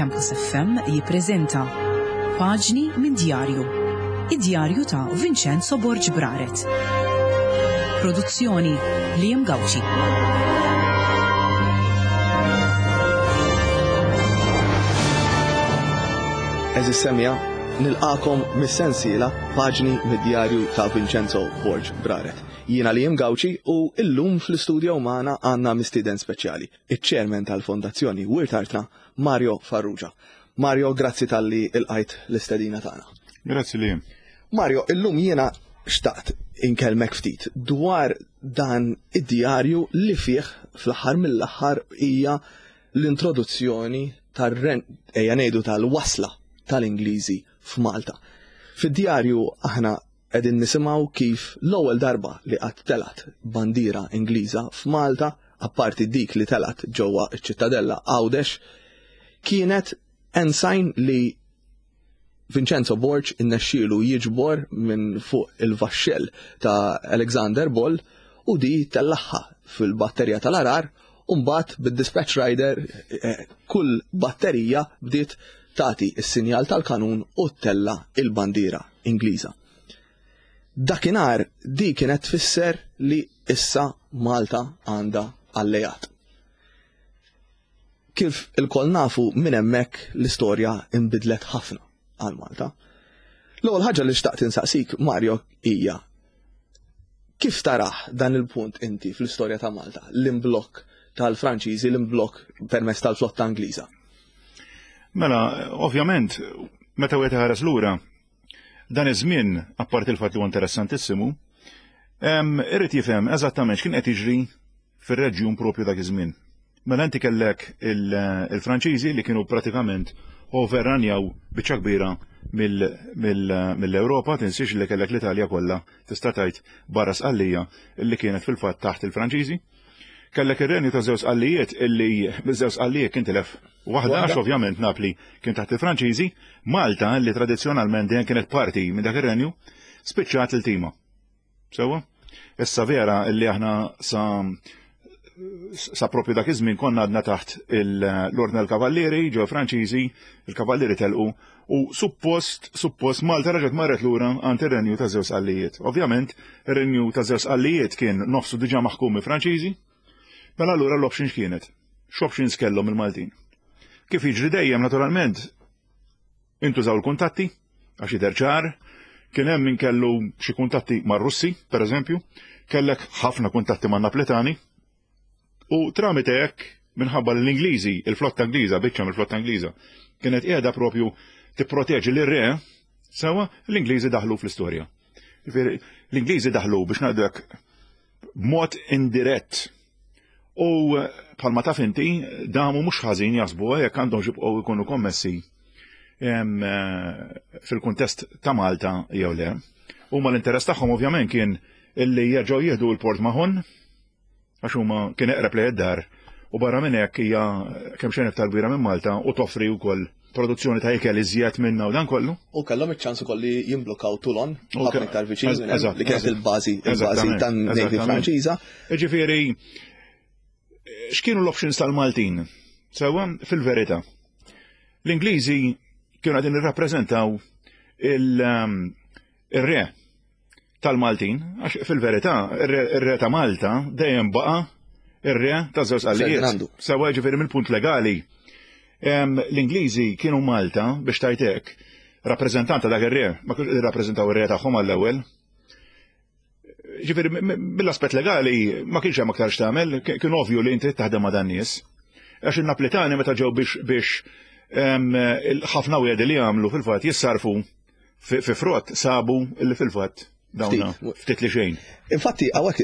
Campus FM jippreżenta Paġni minn Djarju. Id-djarju ta' Vincenzo Borg Braret. Produzzjoni Liam Gauci. Eżis semja, nilqakom mis-sensiela Paġni mid-djarju ta' Vincenzo Borg Braret. Jiena Liam Gauci u illum fl-istudio magħna għandna mistieden speċjali, iċ-chairman tal-Fondazzjoni Wirt Artna, Mario Farrugia. Mario, grazzi talli ilqajt l-istedina tagħna. Grazzi li. Mario, illum jiena xtaqt inkellmek ftit dwar dan id-djarju li fih fl-aħħar mill-aħħar hija l-introduzzjoni tar-ren ejja ngħidu tal-wasla tal-Ingliżi f'Malta. Fid-djarju aħna qegħdin nisimgħu kif l-ewwel darba li qatt telgħet bandiera Ingliża f'Malta, apparti dik li telgħet ġewwa ċ-Ċittadella Għawdex, kienet ensign li Vincenzo Borg innexxielu jiġbor minn fuq il-vaxxell ta' Alexander Ball u di tellagħha fil-batterija tal-Għarar u mbagħad bid-dispatch rider eh, kull batterija bdiet tagħti s-sinjal tal-kanun u ttella' il-bandiera Ingliża. Dakinhar di kienet tfisser li issa Malta għandha alleat. Kif ilkoll nafu minn hemmhekk l-istorja inbidlet ħafna għal Malta. L-ewwel ħaġa li xtaqt insaqsik Mario hija kif tarah dan il-punt inti fl-istorja ta' Malta, l-imblokk tal-Franċiżi, l-imblokk permezz tal-flotta Ingliża? Mela, ovvjament, meta wieħed iħares lura, dan iż-żmien, apparti l-fatt li huwa interessantissimu, irid jifhem eżattament x'kien qed jiġri fir-reġjun propju dak iż-żmien. Mela inti kellek il-Franċiżi li kienu pratikament overranjaw biċċa kbira mill-Ewropa, tinsiex li kellek l-Italja kollha tista' tgħid barra Sqallija li kienet fil-fatt taħt il-Franċiżi. Kellek ir-renju ta' żewġ Sqallijiet illi miż-żewġ Sqallijiet kien tilef waħda għax ovvjament Napli kien taħt il-Franċiżi, Malta li tradizzjonalment dejjem kienet parti minn dak ir-renju, spiċċat il-tima. Sewwa? Issa vera illi aħna sa sa propju dak iż-żmien konna għadna taħt l-Ordni tal-Kavallieri, ġew Franċiżi, il-Kavallieri telqu u suppost suppost Malta reġgħet marret lura għand ir-Renju ta' żewġ Sqallijiet. Ovvjament, ir-Renju ta' żewġ Sqallijiet kien nofsu diġà maħkum mill-Franċiżi, mela allura l-option x'kienet? X'options kellhom il-Maltin? Kif jiġri dejjem naturalment Intużaw il-kuntatti, għax jidher ċar, kien hemm min kellu xi kuntatti mar-Russi, per eżempju, kellek ħafna kuntatti man-Napletani, u tramite hekk minħabba li l-Ingliżi, il-flotta Ingliża, biċċa mill-flotta Ingliża, kienet qiegħda propju tipproteġi lir-re, sewa l-Ingliżi daħlu fl-istorja. L-Ingliżi daħlu biex ngħidu hekk b'mod indirett U bħalma taf inti, damu mhux ħażin jaħsbu jekk għandhom jibqgħu jkunu kommessi eh, fil-kuntest ta' Malta jew le. Huma l-interess tagħhom ovvjament kien illi jerġgħu jieħdu l-Port Mahon għax huma kien eqreb lejn id-dar u barra minn hekk hija kemm xejn iktar kbira minn Malta u toffri wkoll produzzjoni ta' ikel iżjed minna u dan kollu. U kellhom iċ-ċans ukoll li jimblokkaw Toulon, ħafna iktar viċin li kienet il-bażi il-bażi tan-Navy Franċiża. Ġifieri, x'kienu l-options tal-Maltin? Sewwa, fil-verità. L-Ingliżi kienu qegħdin irrappreżentaw um, ir-re tal-Maltin, għax fil-verità, ir-re ta' Malta dejjem baqa' ir-re ta' żewġ qallijiet. Sewa ġifieri mill-punt legali. L-Ingliżi kienu Malta biex tajtek rappreżentant ta' dak ir-re, ma kienx irrappreżentaw ir-re tagħhom għall-ewwel. Ġifieri mill-aspett legali ma kienx hemm aktar x'tagħmel, kien ovvju li inti taħdem ma' dan nies. Għax in-Naplitani meta ġew biex biex ħafna wiedi li għamlu fil-fatt jissarfu fi frott sabu li fil-fatt dawna ftit li xejn. Infatti, għawek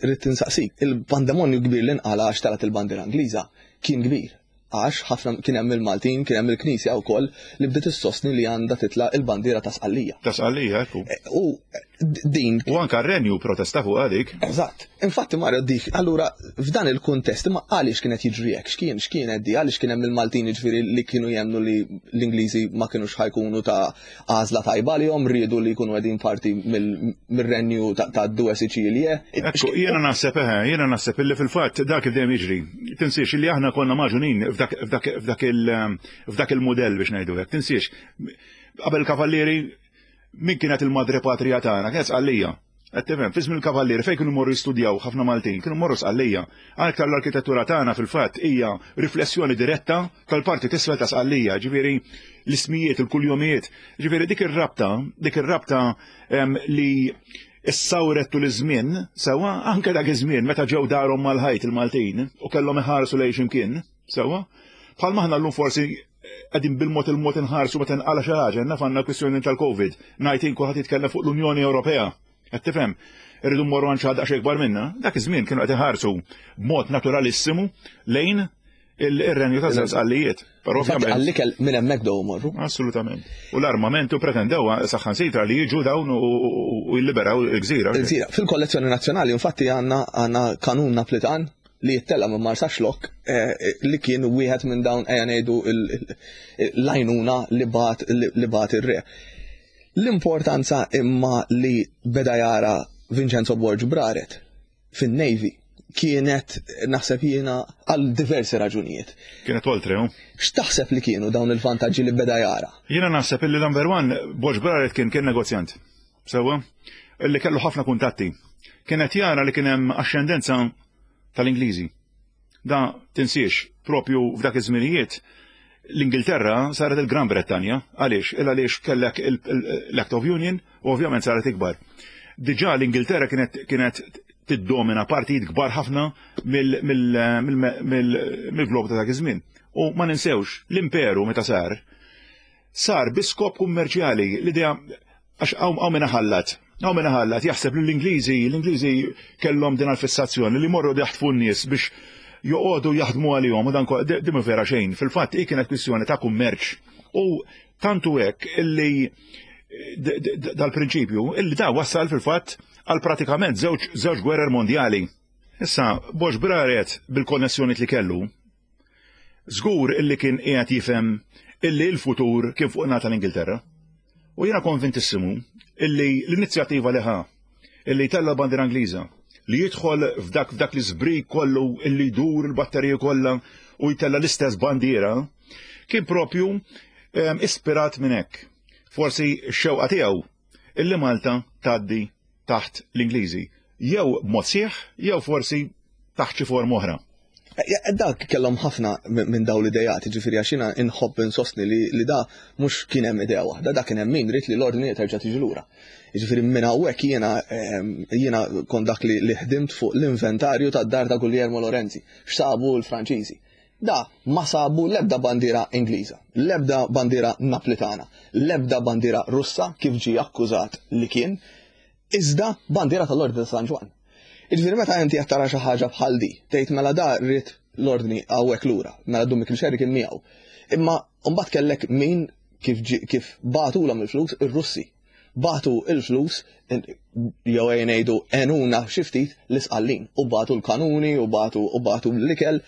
rrit insaqsik, il-pandemonju kbir li nqala għax talat il-bandiera Ingliża kien kbir. Għax ħafna kien hemm il-Maltin, kien hemm il-Knisja wkoll li bdiet issostni li għandha titla' il-bandiera ta' Sqallija. Ta' Sqallija, ekku. E, u. Din. U anka r-renju protesta fuq għadik. Eżatt. Infatti Mario dik, allura f'dan il-kuntest imma għaliex kienet jiġri hekk, x'kien x'kienet di, għaliex kien hemm il-Maltin jiġifieri li kienu jemmnu li l-Ingliżi ma kinux ħajkunu ta' għażla tajba għalihom, riedu li jkunu qegħdin parti mir-renju ta' Due Sicilie. Ekku, jiena naħseb eħe, jiena naħseb illi fil-fatt dak dejjem jiġri. Tinsiex illi aħna konna magħġunin f'dak il-mudell biex ngħidu hekk. Tinsiex, qabel kavallieri Min kienet il-madre patria tagħna? Kienet Sqallija. Qed tifhem, fi żmien il-Kavallieri fejn kienu jmorru jistudjaw ħafna Maltin, kienu jmorru Sqallija. Aktar l-arkitettura tagħna fil-fatt hija riflessjoni diretta tal-parti t'isfel ta' Sqallija, ġifieri l-ismijiet, il-kuljomijiet. Ġifieri dik ir-rabta, dik ir-rabta li issawret tul iż-żmien, sewwa anke dak iż-żmien meta ġew darhom mal-ħajt il-Maltin u kellhom iħarsu lejn x'imkien, sewwa. Bħalma aħna llum forsi qegħdin bil-mod il-mod inħarsu meta nqala xi ħaġa, naf għandna kwistjoni tal-Covid, ngħid kulħadd jitkellem fuq l-Unjoni Ewropea. Qed tifhem? Irridu mmorru għand xi ħadd daqsxejn ikbar minna. Dak iż-żmien kienu qed iħarsu b'mod naturalissimu lejn il-renju ta' żewġ qallijiet. Però ovvjament. Għall-ikel minn hemmhekk dew morru. Assolutament. U l-armament u pretendew saħħansitra li jiġu dawn u jilliberaw il-gżira. Il-gżira. Fil-kollezzjoni nazzjonali infatti għandna għandna kanun Naplitan li jittella' minn Marsaxlokk li kien wieħed minn dawn ejja ngħidu l-għajnuna li bagħat li bagħat ir-re. L-importanza imma li beda jara Vincenzo Borg Braret fin-Navy kienet naħseb jiena għal diversi raġunijiet. Kienet oltre, hu? X'taħseb li kienu dawn il-vantaġġi li beda jara? Jiena naħseb illi number one Borg Braret kien kien negozjant. Sewwa? Illi kellu ħafna kuntatti. Kien qed jara li kien hemm axxendenza tal-Ingliżi. Da tinsiex, propju f'dak iż-żminijiet l-Ingilterra saret il-Gran Brettanja. Għaliex? Il għaliex kellek l-Act of Union u ovvjament saret ikbar. Diġà l-Ingilterra kienet kienet tiddomina partijiet kbar ħafna mill-glob ta' dak iż-żmien. U ma ninsewx, l-imperu meta sar, sar bi skop kummerċjali, l-idea għax hawn min iħallat, hawn min iħallat jaħseb li l-Ingliżi, l-Ingliżi kellhom din għall-fissazzjoni li jmorru jaħtfu n-nies biex joqogħdu jaħdmu għalihom u dan din mhu vera xejn. Fil-fatt hi kienet kwistjoni ta' kummerċ u tant hu hekk illi dal-prinċipju illi da wassal fil-fatt għal pratikament żewġ gwerer mondjali. Issa, Bosch Braret bil-konnessjoni li kellu, Żgur illi kien qiegħed jifhem illi l-futur kien fuq in-naħa tal-Ingilterra. U jiena konvintissimu illi l-inizjattiva li ħa illi jtella' l-bandiera Ingliża, li jidħol f'dak f'dak l-iżbrik kollu illi jdur il-batteriji kollha u jtella' l-istess bandiera, kien propju ehm, ispirat minn hekk. Forsi x-xewqa tiegħu illi Malta tgħaddi taħt l-Ingliżi, jew b'mod sħiħ, jew forsi taħt xi forma oħra. Eh, dak kellhom ħafna minn dawn l-idejat, ġifieri għax jiena inħobb insostni li, li da mhux kien hemm idea waħda, da kien hemm min ried li l-ordni terġa' tiġi lura. Ġifieri minn hawnhekk jiena ehm, jiena kont dak li, li ħdimt fuq l-inventarju tad-dar ta' Guglielmo Lorenzi, x'sabu l-Franċiżi. Da ma sabu l-ebda bandiera Ingliża, l-ebda bandiera Naplitana, l-ebda bandiera Russa kif ġie akkużat li kien, iżda bandiera tal-Ordni ta' San Ġwann. Jiġifieri meta inti qed tara xi ħaġa bħal di, tgħid mela da ried l-Ordni hawnhekk lura, mela Dun Mikil Scerri kien miegħu. Imma mbagħad kellek min kif kif bagħtulhom il-flus ir-Russi. Bagħtu il-flus jew ejja ngħidu għenuna xi ftit l-Isqallin u bagħtu l-kanuni u bagħtu u bagħtu l-ikel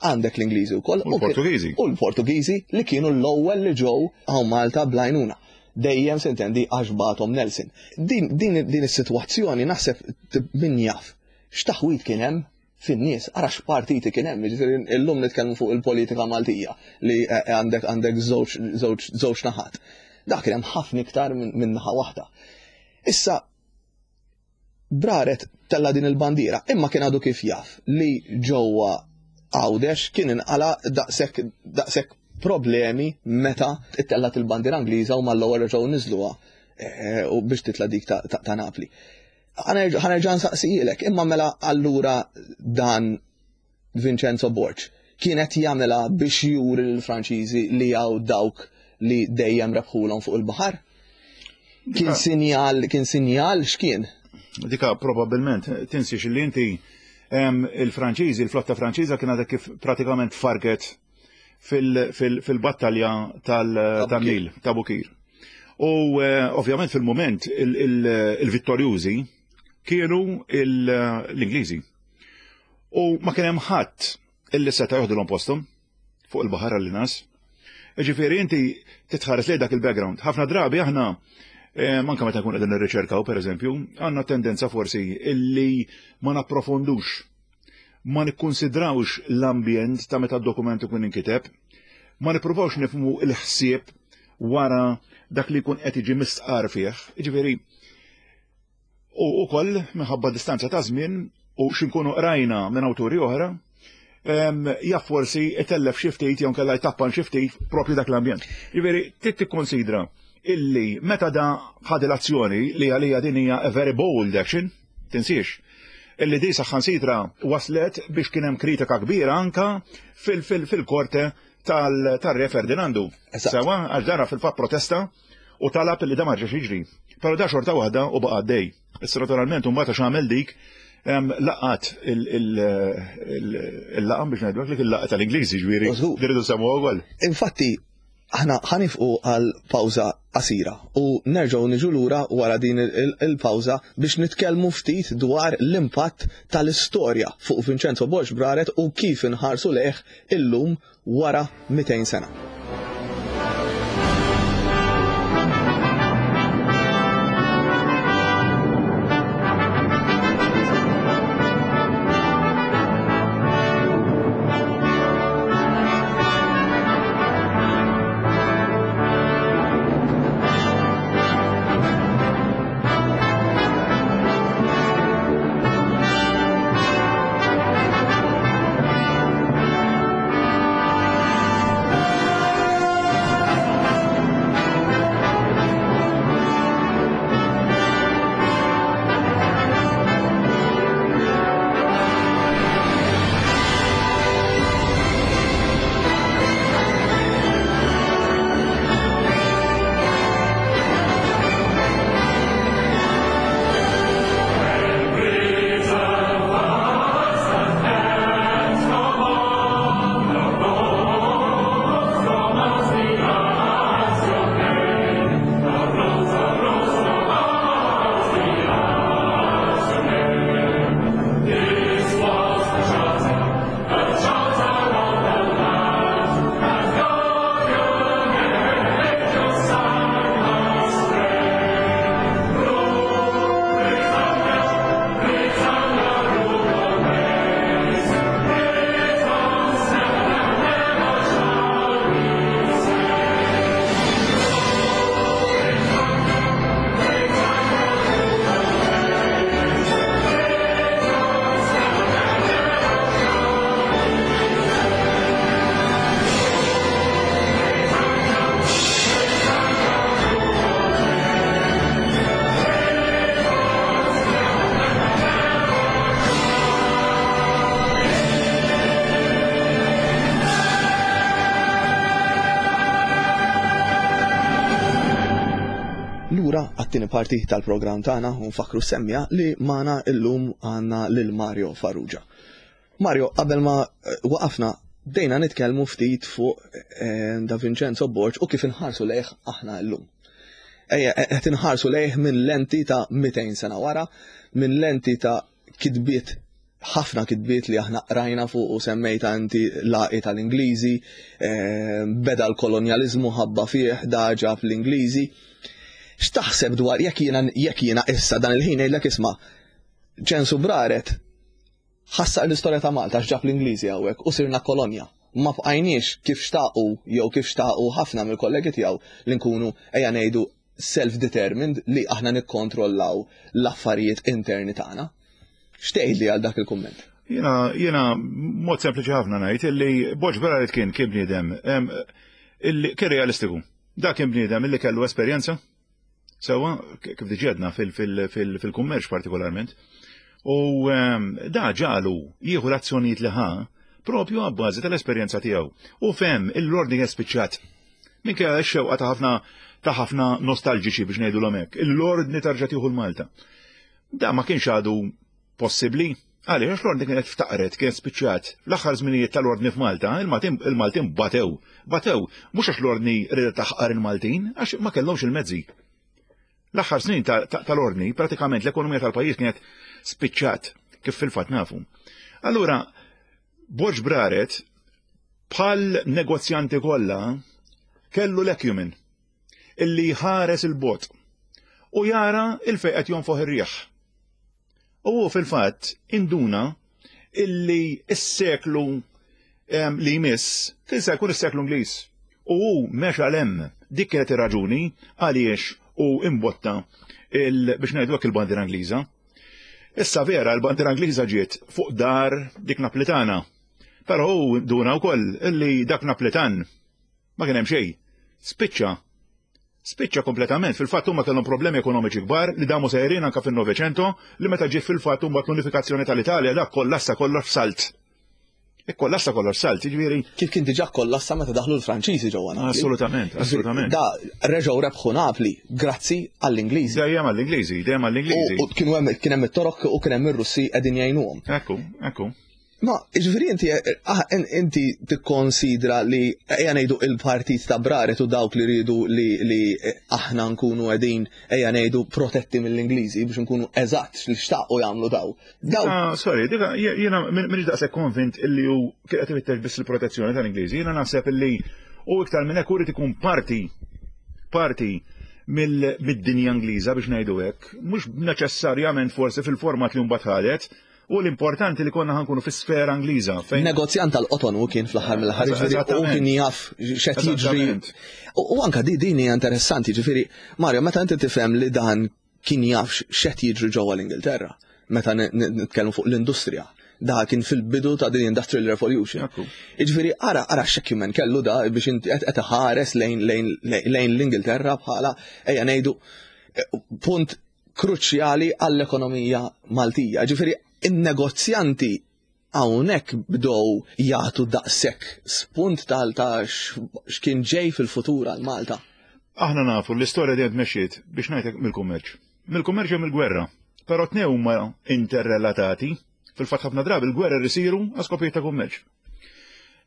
għandek l-Ingliżi wkoll. U l-Portugiżi. U l-Portugiżi li kienu l-ewwel li ġew hawn Malta bl-għajnuna. Dejjem sintendi għax bagħthom Nelson. Din, din, din is-sitwazzjoni naħseb min jaf x'taħwid kien hemm fin-nies, ara x'partiti kien hemm, jiġifieri illum nitkellmu fuq il-politika Maltija li eh, eh, għandek għandek żewġ żewġ naħat. Dak kien hemm ħafna iktar minn naħa waħda. Issa Braret tella' din il-bandiera, imma kien għadu kif jaf li ġewwa Għawdex kien inqala' daqshekk daqshekk problemi meta ttellgħet il-bandiera Ingliża u mal-ewwel reġgħu niżluha eh, u biex titla' dik ta' Napli. Ħanerġa' nsaqsijilek, imma mela allura dan Vincenzo Borg kien qed jagħmilha biex juri lill-Franċiżi li hawn dawk li dejjem rebħulhom fuq il-baħar? Kien sinjal, kien sinjal x'kien? Dika probabbilment tinsiex li inti il-Franċiżi, il-flotta Franċiża kien għadha kif pratikament farket fil-battalja tal-Nil, ta' Bukir. U eh, ovvjament fil-moment il-vittorjużi kienu l-Ingliżi. U ma kien hemm ħadd illi seta' joħdilhom posthom fuq il-baħar għall nas. Ġifieri inti titħares lejn dak il-background. Ħafna drabi aħna eh, manka meta nkun qegħdin nirriċerkaw pereżempju, għandna tendenza forsi illi ma napprofondux ma nikkunsidrawx l-ambjent ta' meta d-dokument ikun inkiteb, ma nippruvawx nifhmu l-ħsieb wara dak li jkun qed jiġi mistqar fih. Jiġifieri, u wkoll minħabba distanza ta' żmien u x'inkunu qrajna minn awturi oħra, jaf forsi itellef xi ftit jew nkella jtappan xi ftit propju dak l-ambjent. Jiġifieri, trid tikkonsidra illi meta da ħad l-azzjoni li għalija din hija a very bold action, Tinsiex illi di saħansitra waslet biex kien hemm kritika kbira anka fil-korte tal-Re Ferdinandu. Sewa, għax dara fil-fatt protesta u talab li da ma rġax jiġri. Però da xorta waħda u baqa' għaddej. Issa naturalment mbagħad għax għamel dik laqat il-laqam biex ngħidu li il-laqgħa tal-Ingliżi ġifieri. Diridu semmu wkoll. Infatti, Aħna ħa nifqu għal pawża qasira u nerġgħu niġu lura wara din il-pawża biex nitkellmu ftit dwar l-impatt tal-istorja fuq Vincenzo Borg Braret u kif inħarsu lejh illum wara 200 sena. Lura għat-tieni parti tal-programm tagħna u nfakkru semmija li magħna illum għandna lil Mario Farrugia. Mario, qabel ma eh, waqafna bdejna nitkellmu ftit fuq eh, da Vincenzo Borg u kif inħarsu lejh aħna llum. Ejja, eh, qed inħarsu lejh minn lenti ta' 200 sena wara, minn lenti ta' kitbiet ħafna kitbiet li aħna qrajna fuq u semmejta inti laqi tal-Ingliżi, eh, beda l-kolonjaliżmu ħabba fih da ġab l-Ingliżi. X'taħseb dwar jekk jiena jekk jiena issa dan il-ħin ngħidlek isma' Ċensu Braret ħassar l-istorja ta' Malta x'ġab l-Ingliżi hawnhekk u sirna kolonja. Ma bqajniex kif xtaqu jew kif xtaqu ħafna mill-kollegi tiegħu li nkunu ejja ngħidu self-determined li aħna nikkontrollaw l-affarijiet interni tagħna. X'tgħidli għal dak il-kumment? Jiena jiena mod sempliċi ħafna ngħid illi Borg Braret kien kien bniedem illi kien realistiku. Dak kien bniedem illi kellu esperjenza Sewwa, kif diġà għedna fil-kummerċ partikolarment. U ehm, da ġalu jieħu l-azzjonijiet li ħa propju għabbażi tal-esperjenza tiegħu. U fem il-ordni kien spiċċat. Minkejja x-xewqa ta' ħafna ta' ħafna nostalġiċi biex ngħidu l hekk, l-ordni tarġa' tieħu l-Malta. Da ma kienx għadu possibbli. Għaliex għax l-ordni kienet ftaqret, kienet spiċċat. Fl-aħħar żminijiet tal-ordni f'Malta, il-Maltin batew. Batew mhux għax l-ordni ridet taħqar il-Maltin, għax ma kellhomx il-mezzi. L-aħħar snin tal-ordni, pratikament l-ekonomija tal-pajjiż kienet spiċċat, kif fil-fatt nafu. Allura, Borġ Braret, bħal negozjanti kollha, kellu l-acumen illi jħares il-bot u jara il-fejn qed jonfoħ ir-riħ. U hu fil-fatt induna illi s-seklu li jmiss kien se jkun is-seklu Ingliż. U hu mexa 'l hemm. Dik kienet ir-raġuni għaliex hu imbotta biex ngħidu hekk il-bandiera Ingliża. Issa vera l-bandiera Ingliża ġiet fuq dar dik Naplitana. Però hu nduna wkoll illi dak Naplitan Ma kien hemm xejn. Spiċċa. Spiċċa kompletament. Fil-fatt huma kellhom problemi ekonomiċi kbar li damu sejrin anke fin-Novecento li meta ġiet fil-fatt mbagħad l-unifikazzjoni tal-Italja dak kollassa kollox f'salt. Ikkollassa kollox f'salt, jiġifieri. Kif kien diġà kollassa meta daħlu l-Franċiżi ġewwa Napli. Assolutament, assolutament. Da reġgħu rebħu Napli grazzi għall-Ingliżi. Dejjem għall-Ingliżi, dejjem għall-Ingliżi. U kienu hemm kien hemm it-Torok u kien hemm ir-Russi qegħdin jgħinuhom. Ekku, ekku. Ma, ġifiri inti, ah, inti tikkonsidra li ejja ngħidu il-partit ta' Braret u dawk li rridu li, li aħna nkunu qegħdin ejja ngħidu protetti mill-Ingliżi biex nkunu eżatt li xtaqu jagħmlu daw. Daw. Ah, sorry, dika jiena m'iniex daqshekk konvint illi hu kien qed ifittex biss il-protezzjoni tal-Ingliżi, jiena naħseb illi u iktar minn hekk urid ikun parti parti mid-dinja Ingliża biex ngħidu hekk, mhux neċessarjament forsi fil-format li mbagħad ħadet, U l-importanti li konna ħankunu fi sfera Ingliża. Fejn... Negozjant tal-qoton u kien fl-aħħar mill-aħħar, ġifieri u kien jaf x'qed jiġri. U anka di din hija interessanti, ġifieri Mario, meta inti tifhem li dan kien jaf x'qed jiġri ġewwa l-Ingilterra, meta nitkellmu fuq l-industrija, da kien fil-bidu ta' din Industrial Revolution. Jiġifieri ara ara x'acumen kellu da biex inti qed ħares lejn lejn l-Ingilterra bħala ejja ngħidu punt kruċjali għall-ekonomija Maltija. Ġifieri in-negozjanti hawnhekk bdew jagħtu daqshekk spunt tal ta' x'kien ġej fil-futur għal Malta. Aħna nafu l-istorja dejjem tmexxiet biex ngħidlek mill-kummerċ. Mill-kummerċ jew mill-gwerra. Però tnejn huma interrelatati. Fil-fatt ħafna drabi l-gwerra isiru għal skopijiet ta' kummerċ.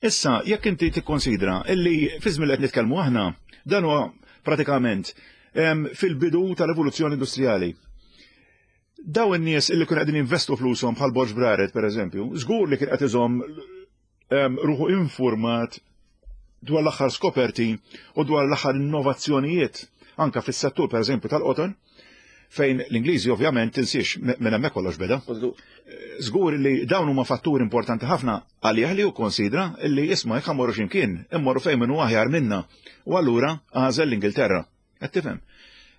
Issa, jekk inti tikkonsidra illi fi żmien li qed nitkellmu aħna, dan huwa pratikament fil-bidu tal-evoluzzjoni industrijali. Daw in-nies illi kienu qegħdin investu flushom bħal Borġ Braret pereżempju, żgur li kien qed iżomm ruħu informat dwar l-aħħar skoperti u dwar l-aħħar innovazzjonijiet anka fis-settur pereżempju tal-qoton, fejn l-Ingliżi ovvjament tinsiex minn hemmhekk kollox beda. Żgur li dawn huma fatturi importanti ħafna għalih li hu konsidra li isma' jekk ħammorru x'imkien, immorru fejn min hu aħjar minna. U allura għażel l-Ingilterra. Qed tifhem?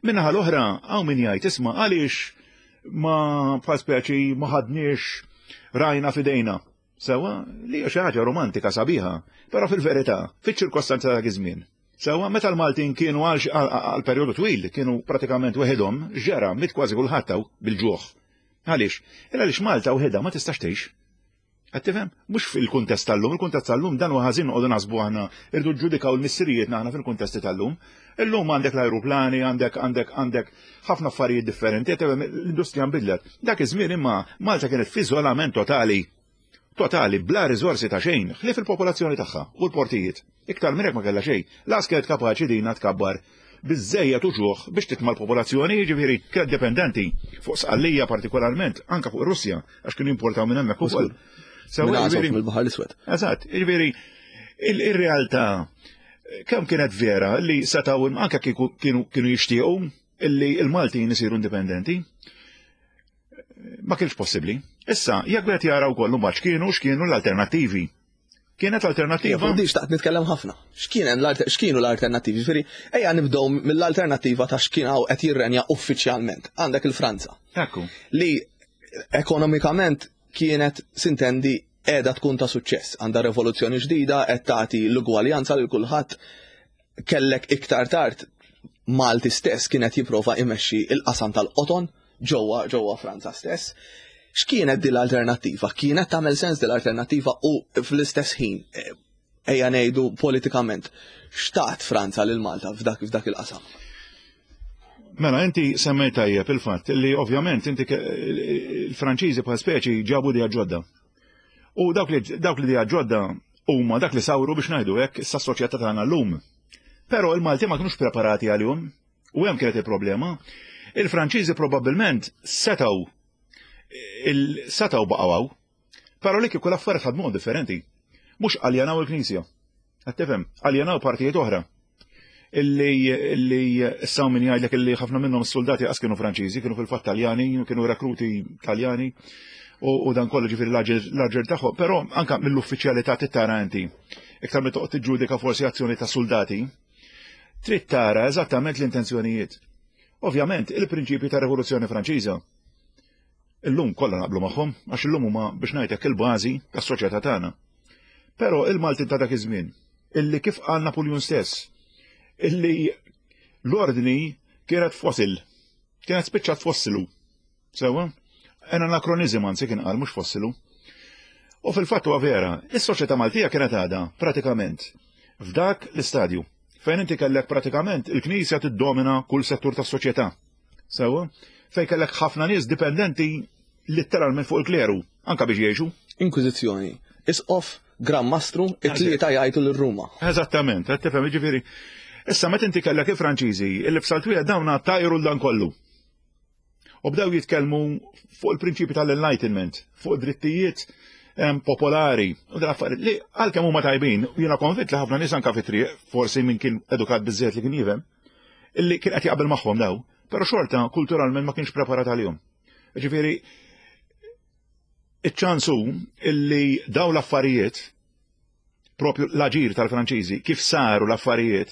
Min-naħa l-oħra hawn min jgħid isma' għaliex ma bħal speċi ma ħadniex rajna f'idejna. Sewa, li hija xi ħaġa romantika sabiħa, però fil-verità, fiċ-ċirkostanza ta' dak iż-żmien. Sewa, meta l-Maltin kienu għal perjodu twil, kienu pratikament weħidhom, ġara mit kważi kulħadd bil-ġuħ. Għaliex? Illa għaliex Malta weħidha ma tistax tgħix. Qed tifhem? Mhux fil-kuntest tal-lum, il-kuntest tal-lum dan huwa ħażin noqogħdu naħsbu aħna irdu ġġudikaw l-missirijietna aħna fil-kuntesti tal-lum. Illum għandek l-ajruplani, għandek għandek għandek ħafna affarijiet differenti, l-industrija nbidlet. Dak iż-żmien imma Malta kienet f'iżolament totali. Totali, bla riżorsi ta' xejn, ħlief il-popolazzjoni tagħha u l-portijiet. Iktar minn hekk ma kellha xejn. Lanqas kienet kapaċi dina tkabbar biżżejjed uċuħ biex titma' l-popolazzjoni, jiġifieri kienet dipendenti fuq Sqallija partikolarment, anke fuq ir-Russja, għax kienu jimportaw minn hemmhekk ukoll. Sewa jiġifieri mill-Baħar l-Iswed. Eżatt, jiġifieri ir-realtà kemm kienet vera li setgħu anke kienu kienu jixtiequ illi l-Maltin isiru indipendenti. Ma kienx possibbli. Issa, jekk wieħed jara wkoll mbagħad x'kienu x'kienu l-alternattivi. Kienet alternattiva. Fuq di xtaqt nitkellem ħafna. X'kienu l-alternattivi? Ġifieri, ejja nibdew mill-alternattiva ta' x'kien hawn qed jirrenja uffiċjalment. Għandek il-Franza. Ekku. Li ekonomikament kienet sintendi qiegħda tkun ta' suċċess, għandha revoluzzjoni ġdida, qed tagħti l-ugwaljanza lil kulħadd. Kellek iktar tard Malti stess kien qed jipprova imexxi il-qasam tal-qoton ġewwa ġewwa Franza stess. X'kienet din l-alternattiva? Kienet tagħmel sens din l-alternattiva u fl-istess ħin eh, ejja ngħidu politikament xtaqt Franza lil Malta f'dak f'dak il-qasam? Mela, inti semmejt tajjeb il-fatt li ovvjament inti il-Franċiżi bħal speċi ġabu dija ġodda. U dawk li dawk li dija ġodda huma dak li sawru biex ngħidu hekk issa s-soċjetà tagħna llum. Però il-Malti ma kinux preparati għalihom. U hemm kienet il-problema. Il-Franċiżi probabbilment setgħu setgħu baqgħu hawn. Però li kieku l-affarijiet ħadmuhom differenti. Mhux aljenaw il-Knisja. Qed tifhem, aljenaw partijiet oħra. Illi illi issa min jgħidlek illi ħafna minnhom is-soldati qas kienu Franċiżi, kienu fil-fatt Taljani, kienu rekruti Taljani u dan kollu ġifieri l-aġir tagħhom, però anka mill-uffiċjalità tittara inti. Iktar minn toqgħod tiġġudika forsi azzjoni ta' soldati, trid tara eżattament l-intenzjonijiet. Ovvjament, il-prinċipji ta' Rivoluzzjoni Franċiża Illum kollha naqblu magħhom għax illum huma biex ngħidlek il-bażi tas-soċjetà tagħna. Però il-Maltin ta' dak iż-żmien, illi kif qal Napuljun stess, illi l-ordni kienet fosil, kienet spiċċat fossilu. Sewwa? En anakronizm anzi kien qal mhux fossilu. U fil-fatt huwa vera, is-soċjetà Maltija kienet għadha pratikament f'dak l-istadju fejn inti kellek pratikament il-Knisja tiddomina kull settur tas-soċjetà. Sewwa, fejn kellek ħafna nies dipendenti litteralment fuq il-kleru, anka biex jgħixu. Inkwiżizzjoni. Isqof, Gran Mastru, it-tlieta jgħajtu lil Ruma. Eżattament, qed tifhem, jiġifieri. Issa meta inti kellek il-Franċiżi illi f'salt wieħed dawn tajru l dan kollu. U bdew jitkellmu fuq il-prinċipi tal-enlightenment, fuq drittijiet popolari u dan affarijiet li għalkemm huma tajbin, jiena konvint li ħafna nies anka fit-triq, forsi min kien edukat biżżejjed li kien jifhem, illi kien qed jaqbel magħhom daw, però xorta kulturalment ma kienx preparat għalihom. Ġifieri iċ-ċans hu illi daw l-affarijiet propju l-aġir tal-Franċiżi kif saru l-affarijiet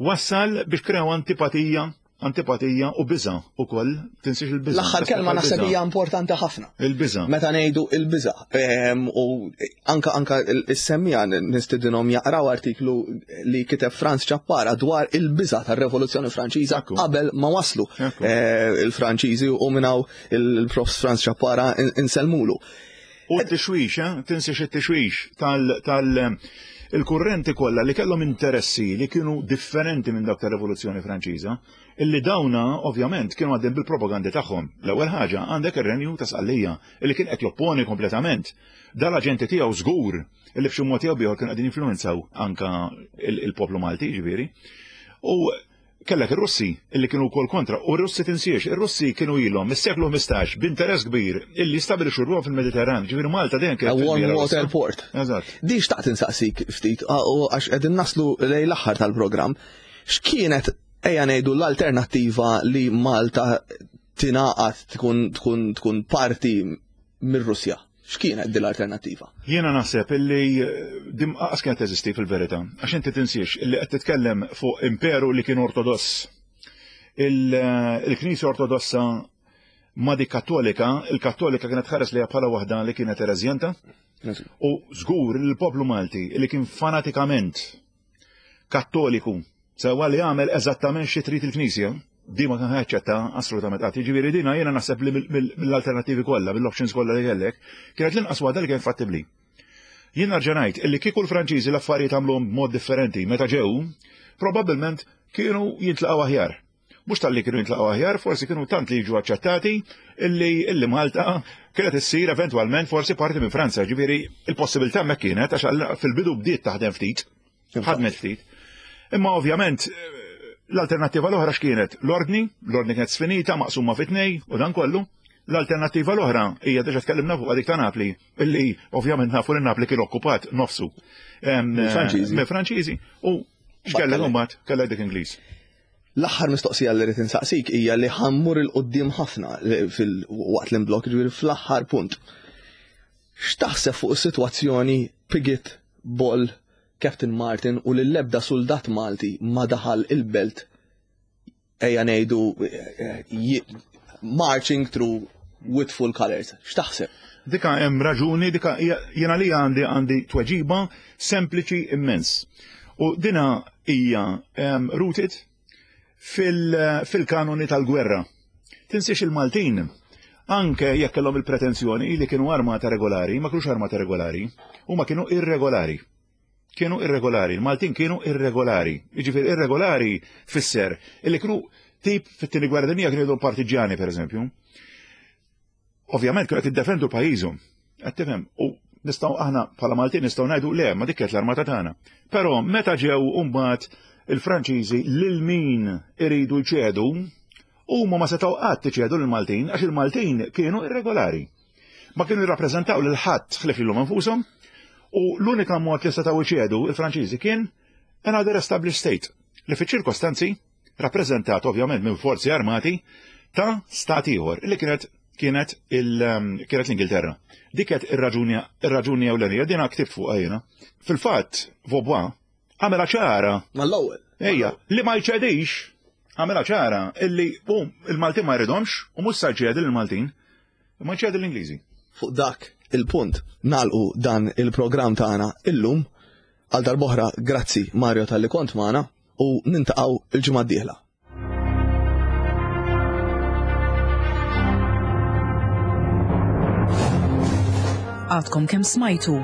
wassal biex krew antipatija antipatija u biża ukoll tinsiex il-biża. L-aħħar kelma naħseb hija importanti ħafna. Il-biża. Meta ngħidu il-biża. Ehm, u anka anka is-semmija nistidinhom jaqraw artiklu li kiteb Franz Ċappara dwar il-biża tar-Revoluzzjoni Franċiża qabel ma waslu eh, il-Franċiżi u minnaw il-Profs Franz Ċappara insellmulu. U t-tixwix, eh? tinsiex it-tixwix tal- il-kurrenti kollha li kellhom interessi li kienu differenti minn dak tar-Rivoluzzjoni Franċiża, illi dawna ovvjament kienu għaddejn bil-propagandi tagħhom. L-ewwel ħaġa għandek ir-Renju ta' Sqallija illi kien qed jopponi kompletament. Dal-aġenti tiegħu żgur illi b'xi mod jew bieħor kienu qegħdin jinfluwenzaw anka il-poplu Malti, ġifieri. U Kellek ir-Russi illi kienu wkoll kontra, u r-Russi tinsiex, ir-Russi kienu ilhom mis-seklu 15 b'interess kbir illi jistabilixxu ruħhom fil-Mediterran, ġifieri Malta dejjem kienet. A warm water port. Eżatt. Di xtaqt insaqsik ftit, għax qegħdin naslu lejn l-aħħar tal-programm. X'kienet ejja ngħidu l-alternattiva li Malta tingħaqad tkun tkun tkun parti mir-Russja? X'kienet din l-alternattiva? Jiena naħseb illi eh, din qas kienet teżisti fil-verità, għax inti tinsiex illi qed titkellem fuq imperu li kien ortodoss. Eh, il-Knisja Ortodossa ma dik Kattolika, il-Kattolika kienet ħares li bħala waħda li kienet ereżjenta. U żgur li l-poplu Malti li kien fanatikament Kattoliku, sewwa li għamel eżattament xi trid il-Knisja, di ma kien ħaċċetta assolutament qatt. Jiġifieri dina jiena naħseb li mill-alternattivi kollha, mill-options kollha li kellek, kienet l-inqas waħda li kien fattibbli. Jien nerġa' ngħid illi kieku l-Franċiżi l-affarijiet għamluhom b'mod differenti meta ġew, probabbilment kienu jintlaqgħu aħjar. Mhux talli kienu jintlaqgħu aħjar, forsi kienu tant li jiġu aċċettati illi illi Malta kienet issir eventwalment forsi parti minn Franza. Ġifieri il-possibilità hemmhekk kienet għax fil-bidu bdiet taħdem ftit, ħadmet ftit. Imma ovvjament l-alternattiva l-oħra x'kienet? L-ordni, l-ordni kienet sfinita, maqsuma fi tnej u dan kollu. L-alternattiva l-oħra hija diġà tkellimna fuq dik ta' Napli, illi ovvjament nafu li Napli kien okkupat nofsu. Mill-Franċiżi u x'kellek imbagħad kellek dik Ingliż. L-aħħar mistoqsija li rrid insaqsik hija li ħammur il qudiem ħafna fil-waqt l-imblok, ġifieri fl-aħħar punt. X'taħseb fuq is-sitwazzjoni Piggott, Boll, Captain Martin u li l-ebda suldat Malti ma daħal il-belt ejja ngħidu marching through with full colors. X'taħseb? Dika hemm raġuni, dika jiena li għandi għandi tweġiba sempliċi immens. U dina hija rooted fil-kanoni tal-gwerra. Tinsiex il-Maltin, anke jekk kellhom il-pretenzjoni li kienu armata regolari, ma kienux armata regolari, huma kienu irregolari. Kienu irregolari, il-Maltin kienu irregolari. Jiġifieri irregolari fisser illi kienu Tip fit-tieni gwerra dinjija kienu jgħidu partiġjani pereżempju. Ovvjament kienu qed jiddefendu pajjiżhom. Qed tifhem? U nistgħu aħna bħala Maltin nistgħu ngħidu le, ma dik kienet l-armata tagħna. Però meta ġew mbagħad il-Franċiżi lil min iridu jċedu, huma ma setgħu qatt iċedu lill-Maltin għax il-Maltin kienu irregolari. Ma kienu jirrappreżentaw lil ħadd ħlief lilhom infushom u l-unika mod li setgħu jċedu il-Franċiżi kien another established state li fiċ-ċirkostanzi rappreżentat ovvjament minn forzi armati ta' stat ieħor li kienet kienet il um, kienet l-Ingilterra. Dik kienet ir-raġuni ir-raġuni ewlenija din ktibt fuqha jiena. Fil-fatt Vaubois għamela ċara. Mal-ewwel. Ejja, li ma jċedix għamela ċara illi u il-Maltin ma jridhomx u mhux sa jċedi lill-Maltin, ma jċedi l-Ingliżi. Fuq dak il-punt nagħlqu dan il-programm tagħna illum għal darb'oħra grazzi Mario talli kont magħna. u nintaqgħu il-ġimgħa d-dieħla. Għadkom kemm smajtu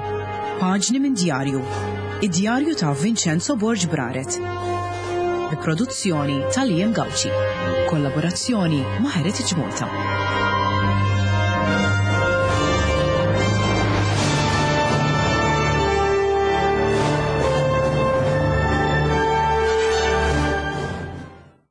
Paġni minn djarju, id-djarju ta' Vincenzo Borg Braret. Bi produzzjoni ta' Liam Gauci. Kollaborazzjoni ma' Heritage Malta.